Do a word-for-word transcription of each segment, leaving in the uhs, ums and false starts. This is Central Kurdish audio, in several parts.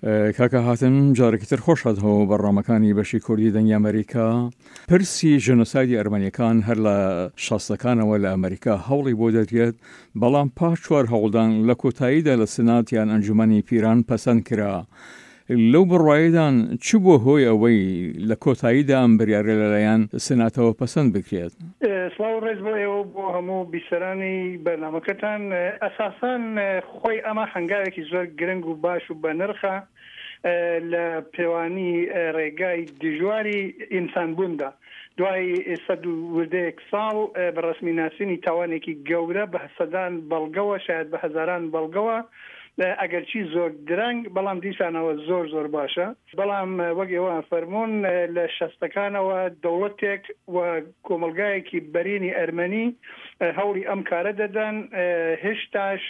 کاکە هاتم، جارێکی تر خۆش هاتەوە بەرنامەکانی بەشی کوردی دەنگی ئەمریکا. پرسی ژێنۆسایدی ئەرمەنیەکان هەر لە شەستەکانەوە لە ئەمریکا هەوڵی بۆ دەدرێت، بەڵام پاش چوار هەوڵدان لە کۆتاییدا لە سنات یان ئەنجومەنی پیران پەسەند کرا. لەو بڕوایەدان چ بووە هۆی ئەوەی لە کۆتاییدا ئەم بریارە لەلایەن سناتەوە پەسەند بکرێت؟ سڵاو و ڕێز بۆ ئێوە و بۆ هەموو بیسەرانی بەرنامەکەتان. ئەساسەن خۆی ئەمە هەنگاوێکی زۆر گرنگ و باش و بەنرخە لە پێوانی ڕێگای دژواری ئینسانبووندا. دوای سەد و وردەیەک ساڵ بە ڕەسمی ناسینی تاوانێکی گەورە بە سەدان بەڵگەوە، شاید بە هەزاران بەڵگەوە، ئەگەرچی زۆر درەنگ بەڵام دیسانەوە زۆر زۆر باشە. بەڵام وەک ئێوە فەرموون لە شەستەکانەوە دەوڵەتێک و کۆمەڵگایەکی بەرینی ئەرمەنی هەوڵی ئەم کارە دەدەن، هێشتاش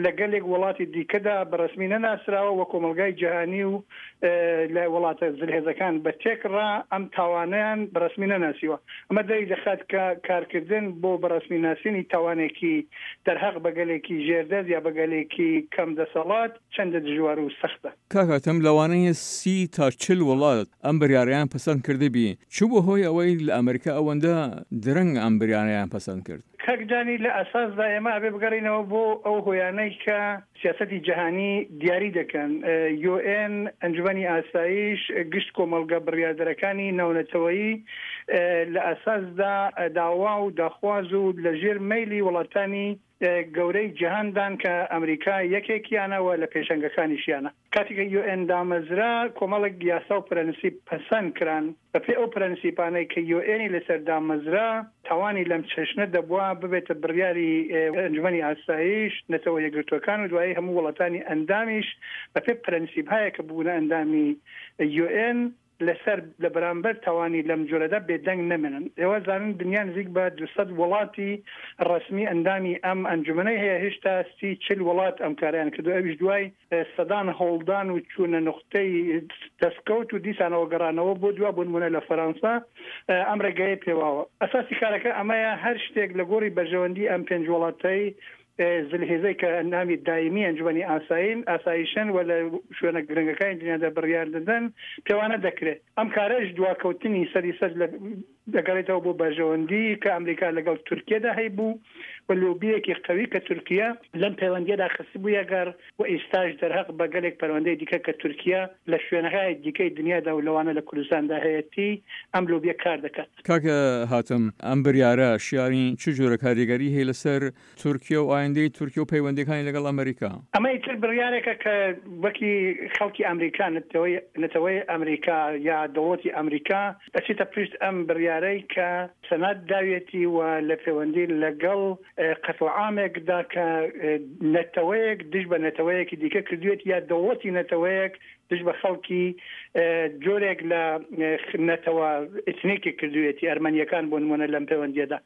لە گەلێک وڵاتی دیکەدا بە ڕەسمی نەناسراوە و کۆمەڵگای جیهانی و لە وڵاتە زلهێزەکان بە تێکڕا ئەم تاوانەیان بە ڕەسمی نەناسیوە. ئەمە دەری دەخات کە کارکردن بۆ بە ڕەسمی ناسینی تاوانێکی دەرهەق بە گەلێکی ژێردەست یا بە گەلێکی کەم دەسەڵات چەندە دژوار و سەختە. کاک هاتم، لەوانەیە سی تا چل وڵات ئەم بریارەیان پەسەند کردبی، چ بووە هۆی ئەوەی لە ئەمریکا ئەوەندە درەنگ ئەم بریارەیان پەسەند کرد؟ کاک جانی، لە ئەساسدا ئێمە ئەبێ بگەڕینەوە بۆ ئەو هۆیانەی کە سیاسەتی جیهانی دیاری دەکەن. یوئێن، ئەنجومەنی ئاسایش، گشت کۆمەڵگە بڕیاردەرەکانی ناونەتەوەیی لە ئەساسدا داوا و داخواز و لە ژێر مەیلی وڵاتانی گەورەی جیهاندان کە ئەمریکا یەکێکیانە و لە پێشەنگەکانیشیانە. کاتێک کە یوئێن دامەزرا کۆمەڵێک یاسا و پرەنسیپ پەسەند کران. بەپێی ئەو پرەنسیپانەی کە یوئێنی لەسەر دامەزرا، تاوانی لەم چەشنە دەبوا ببێتە بڕیاری ئەنجومەنی ئاسایش، نەتەوە یەکگرتووەکان و دوایی هەموو وڵاتانی ئەندامیش بەپێی پرەنسیپهایە کە ببوونە ئەندامی یوئێن لەسەر لە بەرامبەر تاوانی لەم جۆرەدا بێدەنگ نەمێنن. ئێوە زانن دنیا نزیک بە دوو سەد وڵاتی ڕەسمی ئەندامی ئەم ئەنجومەنەی هەیە، هێشتا سی چل وڵات ئەم کارەیان کردووە، ئەویش دوای سەدان هەوڵدان و چوونە نوختەی دەستکەوت و دیسانەوە گەڕانەوە بۆ دوا، بۆ نموونە لە فەرەنسا ئەم ڕێگەیە پێواوە. ئەساسی کارەکە ئەمەیە، هەر شتێک لە گۆڕی بەرژەوەندی ئەم پێنج وڵاتەی زلهێزەی کە ئەندامی دایمی ئەنجومەنی ئاسایین ئاسایشن و لە شوێنە گرنگەکانی دنیادا بڕیار دەدەن پێوانە دەکرێت. ئەم کارەش دواکەوتنی سەری سەر دەگەڕێتەوە بۆ بەرژەوەندی کە ئەمریکا لەگەڵ تورکیەدا هەیبوو و لۆبیەکی قوی کە تورکیە لەم پەیوەندیەدا خستبوویە گەڕ و ئیستاش دەرهەق بە گەلێک پەروەندەی دیکە کە تورکیە لە شوێنەهای دیکەی دنیادا و لەوانە لە کوردستاندا هەیەتی ئەم لۆبیە کار دەکات. کاک هاتم، ئەم بریارە شیاوی چ جۆرە کاریگەری هەیە لەسەر تورکیە و ئایندەی تورکیە و پەیوەندیەکانی لەگەڵ ئەمریکا؟ ئەمە ئیتر بڕیارێکە کە وەکی خەڵکی ئەمریکا، نەتەوەی نەتەوەی ئەمریکا یا دەوڵەتی ئەمریکا ئەچێتە پشت ئەم بڕیارەی کە سەنات داویەتی و لە پەیوەندی لەگەڵ قەتڵ عامێکدا کە نەتەوەیەک دژ بە نەتەوەیەکی دیکە کردوێت یا دەوڵەتی نەتەوەیەک دژ بە خەڵکی جۆرێک لە نەتەوە ئیتنیکی کردوێتی، ئەرمەنیەکان بۆ نمونە لەم پەیوەندیەدا.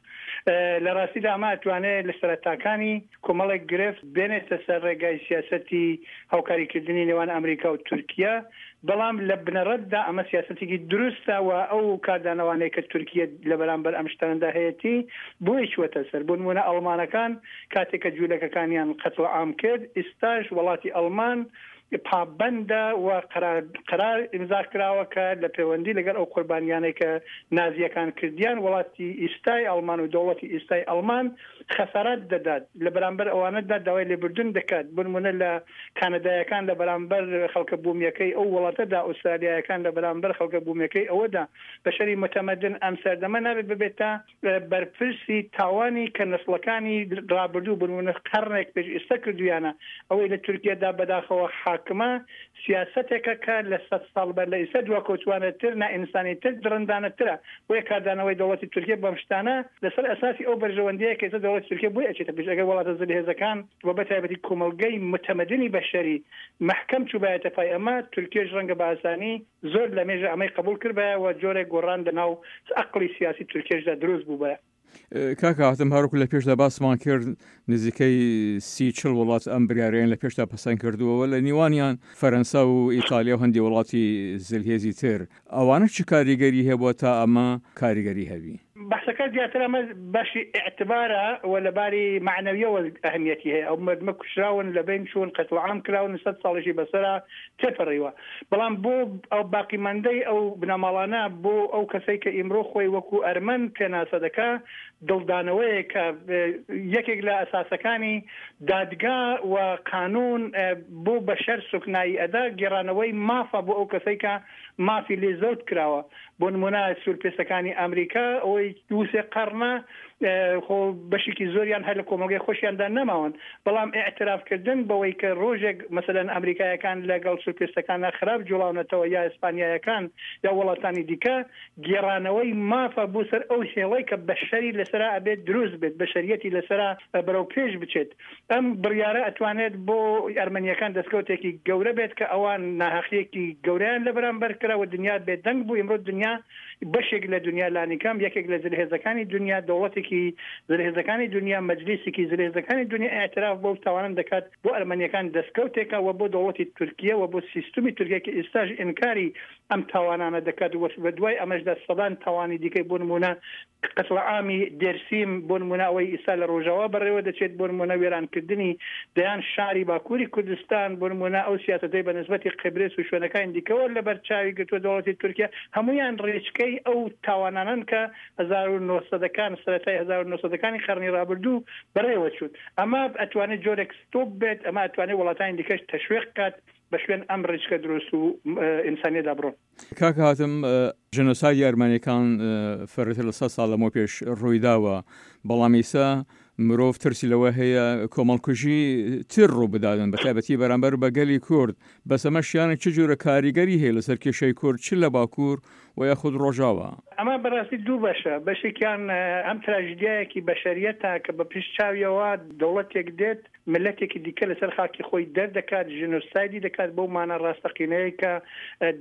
لە ڕاستیدا ئەمە ئەتوانێت لە سەرەتاکانی کۆمەڵێک گرفت بێنێتە سەر ڕێگای سیاسەتی هاوکاریکردنی نێوان ئەمریکا و تورکیا، بەڵام لە بنەڕەتدا ئەمە سیاسەتێکی دروستە و ئەو کاردانەوانەیە کە تورکیا لە بەرامبەر ئەم شتانەدا هەیەتی بۆی چوەتە سەر. بۆ نمونە ئەڵمانەکان کاتێک کە جوولەکەکانیان قەتڵ عام کرد، ئیستاش وڵاتی ئەڵمان پابەندە و قەرار قەرار ئیمزا کراوە کە لە پەیوەندی لەگەڵ ئەو قوربانیانەی کە نازیەکان کردیان وڵاتی ئیستای ئەڵمان و دەوڵەتی ئیستای ئەڵمان خەسارات دەدات، لە بەرامبەر ئەوانەدا داوای لێبوردن دەکات. بۆ نمونە لە کانەدایەکان لە بەرامبەر خەڵکە بوومیەکەی ئەو وڵاتەدا، ئوسترالیایەکان لە بەرامبەر خەڵکە بوومیەکەی ئەوەدا، بەشەری متەمەدن ئەم سەردەمە نابێت ببێتە بەرپرسی تاوانی کە نەسڵەکانی ڕابردوو بۆ نمونە قەرنێک پێش ئێستا کردویانە. ئەوەی لە تورکیادا بەداخەوە حاکمە سیاسەتێکە کە لە سەد ساڵ بەر لە ئێستا دواکەوتوانەتر، نائینسانیتر، دڕندانەترە. بۆیە کاردانەوەی دەوڵەتی تورکیا بەم شتانە لەسەر ئەساسی ئەو بەرژەوەندیە کە ئێستا دەوڵەتی تورکیا بۆی ئەچێتە پێش. ئەگەر وڵاتە زلهێزەکان و بە تایبەتی کۆمەڵگەی متەمەدنی بەشەری مەحکەم چووبایەتە پای ئەمە، تورکیەش ڕەنگە بە ئاسانی زۆر لە مێژە ئەمەی قبوڵ کردبایە و جۆرێک گۆڕان لەناو ئەقڵی سیاسی تورکیەشدا دروست بووبایە. کاک هاتم، هەروەکو لە پێشدا باسمان کرد نزیکەی سی چل وڵات ئەم بریارەیان لە پێشدا پەسەند کردووە، لە نیوانیان فەرەنسا و ئیتالیا و هەندی وڵاتی زلهێزی تر. ئەوانە چ کاریگەری هەبووە تا ئەمە کاریگەری هەبی؟ بەحسەکە زیاتر ئەمە بەشی ئیعتبارە و لە باری مەعنەویەوە ئەهمیەتی هەیە. ئەو مردمە کوشراون، لە بین چوون، قەتڵ عام کراون، سەد ساڵیشی بەسەرا تێپەڕیوە. بەڵام بۆ ئەو باقیماندەی ئەو بنەماڵانە، بۆ ئەو کەسەی کە ئیمڕۆ خۆی وەکو ئەرمەن پێناسە دەکا، دڵدانەوەیە کە یەکێک لە ئەساسەکانی دادگا و قانون بۆ بەشەر سوکنایی ئەدا، گێڕانەوەی مافە بۆ ئەو کەسەی کە مافی لێ زەوت کراوە. بۆ نمونە سوورپێستەکانی ئەمریکا ئەوەی دوو سێ قەرنە خۆ بەشێکی زۆریان هەر لە کۆمەڵگەی خۆشیاندا نەماون، بەڵام ئیعترافکردن بەوەی کە ڕۆژێک مەسەلەن ئەمریکایەکان لەگەڵ سوورپێستەکانە خراپ جوڵاونەتەوە یا ئیسپانیایەکان یا وڵاتانی دیکە، گێڕانەوەی مافە بۆ سەر ئەو هێڵەی کە بەشەری لەسەرا ئەبێت دروست بێت، بەشەریەتی لەسەرا بەرەو پێش بچێت. ئەم بڕیارە ئەتوانێت بۆ ئەرمەنیەکان دەستکەوتێکی گەورە بێت کە ئەوان ناهەقیەکی گەورەیان لە بەرامبەر کرا و دنیا بێدەنگ بوو. ئیمڕۆ دنیا بەشێک لە دنیا لانیکەم یەکێک لە زلهێزەکانی دنیا، دەوڵەتێکی زلهێزەکانی دنیا، مەجلیسێکی زلهێزەکانی دنیا ئیعتراف بەو تاوانە دەکات. بۆ ئەرمەنیەکان دەستکەوتێکە و بۆ دەوڵەتی تورکیە و بۆ سیستمی تورکیا کە ئێستاش ئینکاری ئەم تاوانانە دەکات و بە دوای ئەمەشدا سەدان تاوانی دیکەی بۆ نمونە قەتڵ عامی دێرسیم، بۆ نمونە ئەوەی ئێستا لە ڕۆژاوا بەڕێوە دەچێت، بۆ نمونە وێرانکردنی دەیان شاری باکووری کوردستان، بۆ نمونە ئەو سیاسەتەی بە نسبەتی قبرس و شوێنەکانی دیکەوە لەبەر چاوی گرتووە دەوڵەتی تورکیا، هەمویان ڕێچکەی ئەو تاوانانەن کە هەزار و نۆسەدەکان سەرەتای هەزار و نۆسەدەکانی قەرنی ڕابردوو بەڕێوە چوون. ئەمە ئەتوانێت جۆرێک ستۆپ بێت، ئەمە ئەتوانێت وڵاتانی دیکەش تەشویق کات بە شوێن ئەم ڕێچکە دروست و ئینسانیەدا بڕۆن. کاک هاتم، ژینۆسایدی ئەرمەنیەکان فرەتر لە سەد ساڵ لەمەو پێش ڕوویداوە، بەڵام ئیسا مرۆڤ ترسی لەوە هەیە کۆمەڵکوژی تر ڕوو بدادن، بە تایبەتی بەرامبەر بە گەلی کورد. بەس ئەمەشیانە چ جۆرە کاریگەری هەیە لەسەر کێشەی کورد چ لە باکوور و یاخود ڕۆژاوا؟ ئەمە بەڕاستی دوو بەشە. بەشێکیان ئەم تراژیدیایەکی بەشەریەتە کە بە پشت چاویەوە دەوڵەتێک دێت ملەتێکی دیکە لەسەر خاکی خۆی دەردەکات، ژینۆسایدی دەکات بەو مانا ڕاستەقینەیە کە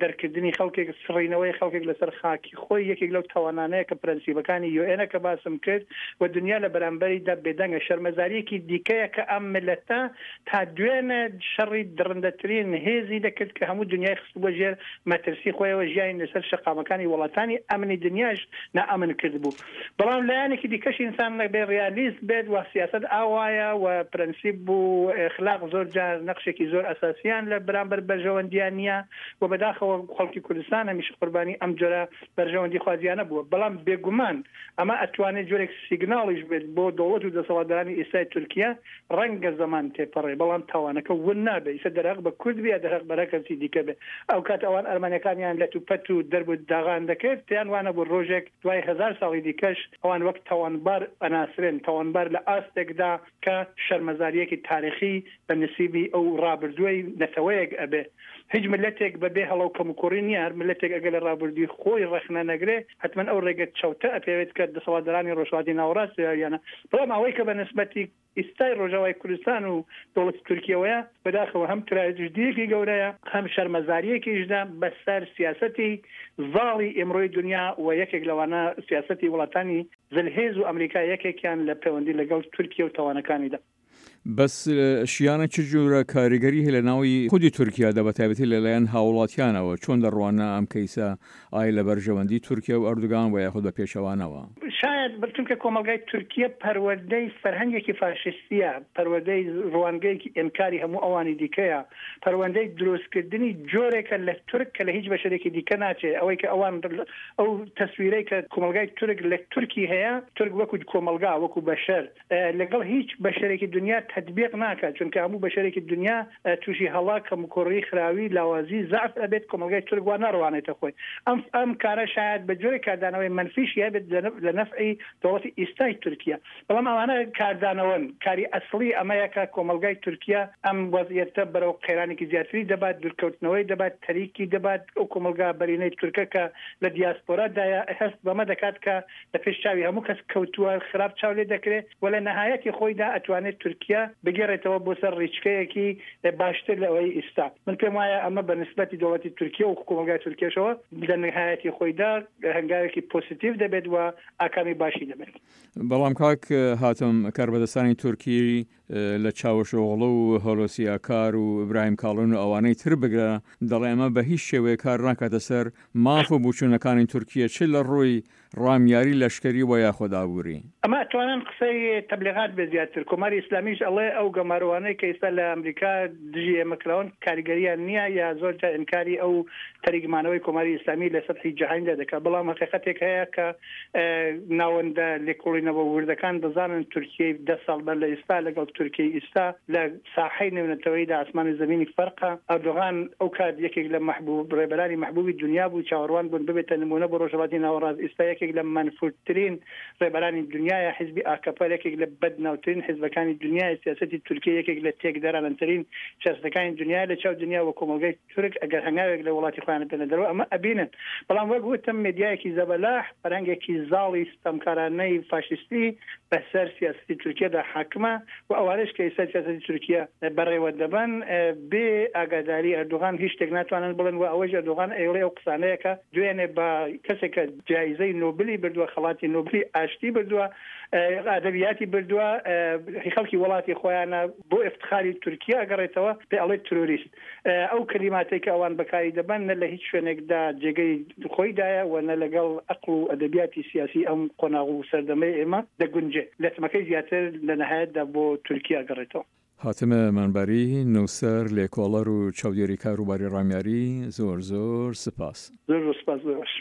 دەرکردنی خەڵکێک، سڕینەوەی خەڵکێک لەسەر خاکی خۆی یەکێک لەو تاوانانەیە کە پرەنسیپەکانی یوئێنە کە باسم کرد و دنیا لە بەرامبەریدا بێدەنگە. شەرمەزاریەکی دیکەیە کە ئەم ملەتە تا دوێنێ شەڕی دڕندەترین هێزی دەکرد کە هەموو دنیای خستبووە ژێر مەترسی خۆیەوە، ژیانی لەسەر شەقامەکانی وڵاتانی ئەمنی دنیاش نائەمن کردبوو. بەڵام لایەنێکی دیکەش ئینسان بێ ڕیالیست بێت و سیاسەت ئاوایە و پرەنسیپ و ئەخلاق زۆر جار نەقشێکی زۆر ئەساسیان لە بەرامبەر بەرژەوەندیان نییە و بەداخەوە خەڵکی کوردستان هەمیشە قوربانی ئەم جۆرە بەرژەوەندی خوازیانە بووە. بەڵام بێگومان ئەمە ئەتوانێت جۆرێک سیگناڵیش بێت بۆ دەوڵەت و دەسەڵاتدارانی ئێستای تورکیا. ڕەنگە زەمان تێپەڕێ بەڵام تاوانەکە ون نابێ، ئیستا دەرهەق بە کورد بێ یا دەرهەق بە هەر کەسی دیکە بێ. ئەو کات ئەوان ئەرمەنیەکانیان لەت و پەت و دەرب و داغان دەکرد، پێیان وانە بوو ڕۆژێک دوای هەزار ساڵی دیکەش ئەوان وەک تاوانبار ئەناسرێن، تاوانبار لە ئاستێکدا کە شەرمەزاریەکی تاریخی بە نسیبی ئەو ڕابردووی نەتەوەیەک ئەبێ. هیچ ملەتێک بەبێ هەڵە و کەموکوڕی نییە، هەر ملەتێک ئەگەر لە ڕابردووی خۆی ڕەخنە نەگرێ حتمما ئەو ڕێگە چەوتە ئەپێوێت کە دەسەڵاتدارانی ڕۆژهەڵاتی ناوەڕاست یانە. بەڵام ئەوەی کە بە نسبەتی ئێستای ڕۆژاوای کوردستان و دەوڵەتی تورکیەوەیە، بەداخەوە هەم تراژیدیەکی گەورەیە، هەم شەرمەزاریەکیشدا بەسەر سیاسەتی زاڵی ئێمڕۆی دنیا و یەکێک لەوانە سیاسەتی وڵاتانی زلهێز و ئەمریکا یەکێکیان لە پەیوەندی لەگەڵ تورکیا و تاوانەکانیدا. بەس شیانە چ جۆرە کاریگەری هەیە لە ناوی خودی تورکیادا، بە تایبەتی لەلایەن هاوڵاتیانەوە؟ چۆن دەڕوانە ئەم کەیسە ئایا لە بەرژەوەندی تورکیا و ئەردوگان و یاخود بە پێچەوانەوە؟ شاید چونکە کۆمەڵگای تورکیا پەروەردەی فەرهەنگێکی فاشیستیە، پەروەردەی ڕوانگەیەکی ئینکاری هەموو ئەوانی دیکەیە، پەروەردەی دروستکردنی جۆرێکە لە تورک کە لە هیچ بەشەرێکی دیکە ناچێت. ئەوەی کە ئەوان ئەو تەسویرەی کە کۆمەڵگای تورک لە تورکی هەیە، تورک وەکو کۆمەڵگا وەکو بەشەر لەگەڵ هیچ بەشەرێکی دنیا تطبیق ناکات، چونکە هەموو بەشەرێکی دنیا تووشی هەڵا، کەموکوڕی، خراوی، لاوازی، زەعف ئەبێت. کۆمەڵگای تورک وا ناڕوانێتە خۆی. ئەم ئەم کارە شاید بە جۆرێک کاردانەوەی منفیشی هەبێت لە نەفعی دەوڵەتی ئێستای تورکیا، بەڵام ئەوانە کاردانەوەن. کاری ئەسڵی ئەمەیە کە کۆمەڵگای تورکیا ئەم وەزعیەتە بەرەو قەیرانێکی زیاتری دەبات، دوورکەوتنەوەی دەبات، تەریکی دەبات. ئەو کۆمەڵگا بەرینەی تورکە کە لە دیاسپۆرادایە هەست بەمە دەکات کە لە پێش چاوی هەموو کەس کەوتووە، خراپ چاو لێ دەکرێت و لە نەهایەتی خۆیدا ئەتوانێت تورکیا بگەڕێتەوە بۆ سەر ڕیچکەیەکی باشتر لە ئەوەی ئێستا. من پێم وایە ئەمە بە نسبەتی دەوڵەتی تورکیا و کۆمەڵگای تورکیاشەوە لە نهایەتی خۆیدا هەنگاوێکی پۆزیتیڤ دەبێت و ئاکامی باشی دەبێت. بەڵام کاک هاتم، کاربەدەستانی تورکی لە چاوشئۆغڵو و هۆلۆسی ئاکار و ئیبراهیم کاڵون و ئەوانەی تر بگرە دەڵێ ئەمە بە هیچ شێوەیە کار ناکاتە سەر ماف و بچوونەکانی تورکیە، چ لە ڕووی ڕامیاری لەشکەری وە یاخۆد ئابووری. ئەمە ئەتوانن قسەی تەبلیغات بێ زیاتر، کۆماری ئیسلامیش ئەڵێ ئەو گەمارۆوانەی کە ئیستا لە ئەمریکا دژی ئێمە کراون کاریگەریان نییە یا زۆر جار ئینکاری ئەو تەریک مانەوەی کۆماری ئیسلامی لە سەتحی جەهانیدا دەکات بەڵام هەقیقەتێک هەیە کە ناوەندە لێکۆڵینەوە وردەکان دەزانن تورکیەی دە ساڵ بەر لە ئیستا لەگەڵ تورکیەی ئیستا لە ساحەی نێونەتەوەییدا ئاسمان و زەمینی فەرقە. ئەردۆغان ئەو کات یەکێک لە مەحبوب ڕێبەرانی مەحبوبی دونیا بوو، چاوەڕوان بوون ببێتە نموونە بۆ ڕۆژهەڵاتی ناوەڕاست، ئیستا یەکێک لە مەنفورترین ڕێبەرانی دونیایە، حیزبی ئاکەپە یەکێک لە بەدناوترین حیزبەکانی دونیایە، سیاسەتی تورکیە یەکێک لە تێکدەرانەترین سیاسەتەکانی دونیایە لە چاو دونیا و کۆمەڵگای تورک ئەگەر هەنگاوێک لە وڵاتی خۆیان بێنە دەرەوە ئەمە ئەبینن، بەڵام وەک وتم مێدیایەکی زەبەلاح، فەرهەنگێکی زاڵی ستەمکارانەی فاشیستی بەسەر سیاسەتی تورکیەدا حاکمە و ئەوانەش کە ئیستا سیاسەتی تورکیە بەڕێوە دەبەن بێ ئاگاداری ئەردۆغان هیچ شتێک ناتوانن بڵێن و ئەوەیش ئەردۆغان ئەیڵێ ئەو قسانەیە کە دوێنێ بە کەسێک کە جایزەی نۆبلی بردووە، خەڵاتی نۆبلی ئاشتی بردووە، ئەدەبیاتی بردووە، هی خەڵکی وڵاتی خۆیانە، بۆ ئیفتخاری تورکیە ئەگەڕێتەوە پێ ئەڵێ ترۆریست. ئەو کەلیماتەی کە ئەوان بەکاری دەبەن نە لە هیچ شوێنێکدا جێگەی خۆیدایە و نە لەگەڵ ئەقڵ و ئەدەبیاتی سیاسی ئەم قۆناغ و سەردەمەی ئێمە دەگونجێ. لەتمەکەی زیاتر لە نەهایەتدا بۆ تورکیە ئەگەڕێتەوە. حاتم مەنبەری، نووسەر، لێکۆڵەر و چاودێری کاروباری ڕامیاری، زۆر زۆر سپاس. زۆر زۆر سپاس بۆ ئێوەش.